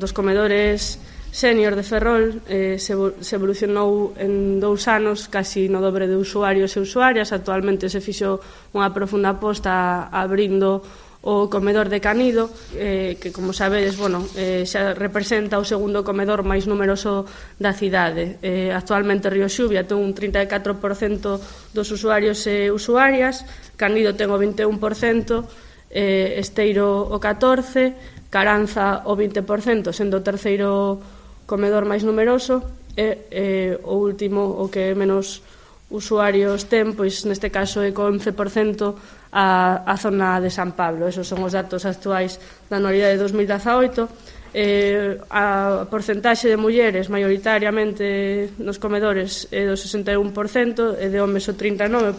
Dos comedores sénior de Ferrol se evolucionou en 2 anos casi no dobre de usuarios e usuarias. Actualmente se fixo unha profunda aposta abrindo o comedor de Canido, que, como sabedes, xa representa o segundo comedor máis numeroso da cidade. Actualmente Río Xuvia ten un 34% dos usuarios e usuarias, Canido ten o 21%, Esteiro o 14%, Caranza o 20%, sendo o terceiro comedor máis numeroso, e o último, o que menos usuarios ten, pois neste caso é co 11% a zona de San Pablo. Esos son os datos actuais da anualidade de 2018. A porcentaxe de mulleres maioritariamente nos comedores é do 61% e de homes o 39%.